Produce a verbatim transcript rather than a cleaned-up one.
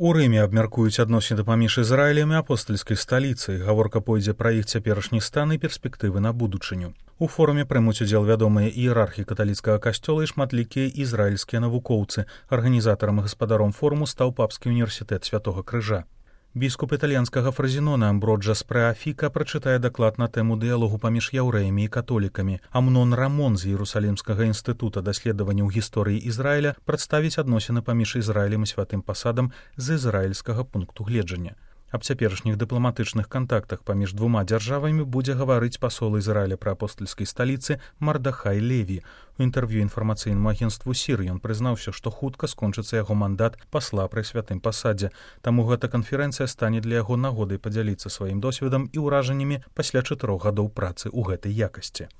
У Рыме абмяркуюць адносіны паміж Ізраілем і апостальскай сталіцай. Гаворка пойдзе пра іх цяперашні стан і перспектывы на будучыню. У форуме прымуць удзел вядомыя іерархі каталіцкага касцёла і шматлікія ізраільскія навукоўцы. Арганізатарам і гаспадаром форуму стаў Папскі універсітэт Святога Крыжа. Біскуп італьянскага Фразінона Амброджа Спреафіка прачытае даклад на тэму дыялогу паміж яўрэямі і католікамі. Амнон Рамон з Іерусалімскага інстытута даследаванняў гісторыі Ізраіля прадставіць адносіны паміж Ізраілем і святым пасадам з ізраільскага пункту гледжання. Аб цяперашніх дыпламатычных кантактах паміж двума дзяржавамі будзе гаварыць пасол Ізраіля пры апостальскай сталіцы Мардахай Леві. У інтэрв'ю інфармацыйнаму агенству Сір ён прызнаўся, што хутка скончыцца яго мандат пасла пры святым пасадзе. Таму гэта канферэнцыя стане для яго нагодай падзяліцца сваім досведам і ўражаннямі пасля чатырох гадоў працы ў гэтай якасці.